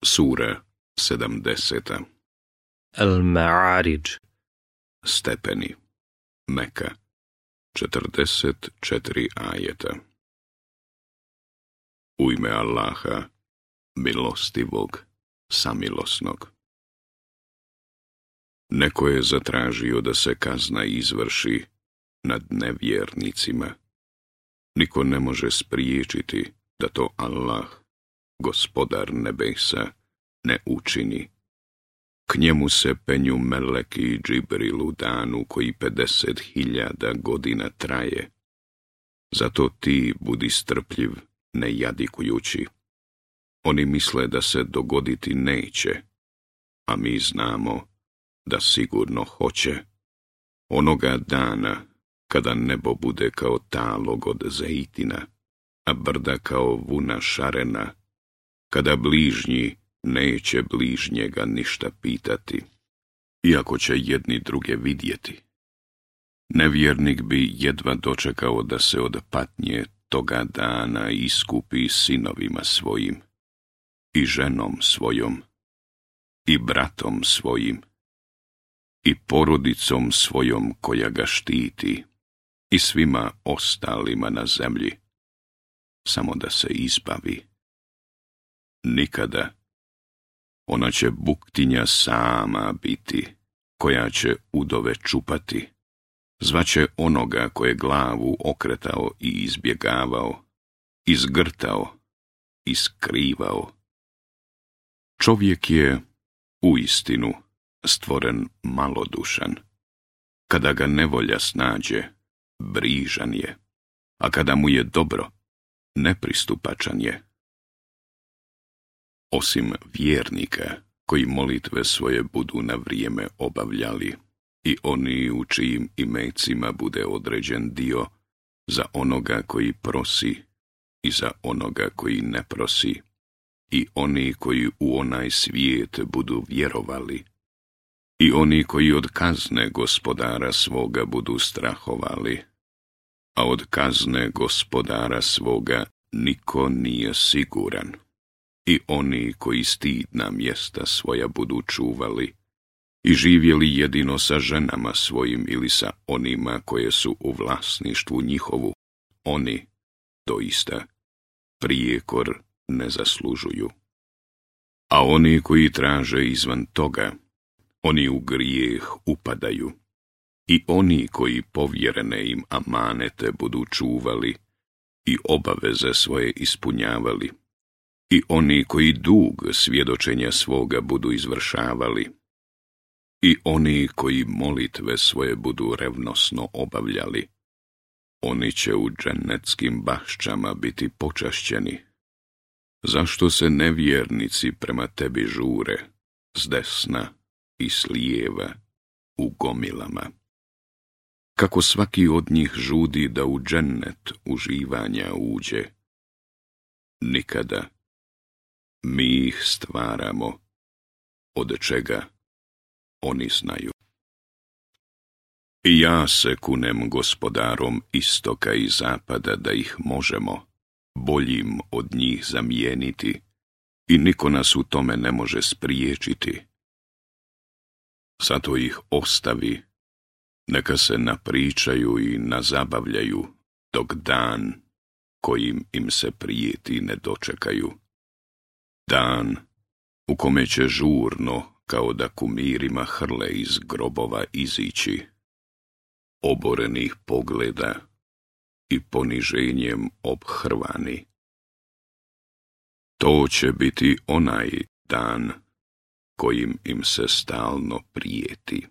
Sura 70. Al-Ma'arij. Stepeni. Meka. 44 ajeta. U ime Allaha, milostivog, samilosnog. Neko je zatražio da se kazna izvrši nad nevjernicima. Niko ne može spriječiti da to Allah, gospodar nebesa, ne učini. K njemu se penju meleki i Džibril u danu koji 50.000 godina traje. Zato ti budi strpljiv, ne jadikujući. Oni misle da se dogoditi neće, a mi znamo da sigurno hoće. Onoga dana kada nebo bude kao talog od zejtina, a brda kao vuna šarena, kada bližnji neće bližnjega ništa pitati, iako će jedni druge vidjeti. Nevjernik bi jedva dočekao da se od patnje toga dana iskupi sinovima svojim, i ženom svojom, i bratom svojim, i porodicom svojom koja ga štiti, i svima ostalima na zemlji, samo da se izbavi. Nikada. Ona će buktinja sama biti, koja će udove čupati. Zvaće onoga koje glavu okretao i izbjegavao, izgrtao i skrivao. Čovjek je uistinu stvoren malodušan. Kada ga nevolja snađe, brižan je, a kada mu je dobro, nepristupačan je. Osim vjernika koji molitve svoje budu na vrijeme obavljali i oni u čijim imecima bude određen dio za onoga koji prosi i za onoga koji ne prosi, i oni koji u onaj svijet budu vjerovali, i oni koji od kazne gospodara svoga budu strahovali, a od kazne gospodara svoga niko nije siguran, i oni koji stidna mjesta svoja budu čuvali i živjeli jedino sa ženama svojim ili sa onima koje su u vlasništvu njihovu, oni doista prijekor ne zaslužuju. A oni koji traže izvan toga, oni u grijeh upadaju, i oni koji povjerene im amanete budu čuvali i obaveze svoje ispunjavali, i oni koji dug svjedočenja svoga budu izvršavali, i oni koji molitve svoje budu revnosno obavljali, oni će u džennetskim baščama biti počašćeni. Zašto se nevjernici prema tebi žure, s desna i s lijeva, u gomilama? Kako svaki od njih žudi da u džennet uživanja uđe? Nikada. Mi ih stvaramo, od čega oni znaju. I ja se kunem gospodarom istoka i zapada da ih možemo boljim od njih zamijeniti, i niko nas u tome ne može spriječiti. Zato ih ostavi, neka se napričaju i nazabavljaju, dok dan kojim im se prijeti ne dočekaju. Dan u kome će žurno, kao da kumirima hrle iz grobova izići, oborenih pogleda i poniženjem obhrvani. To će biti onaj dan kojim im se stalno prijeti.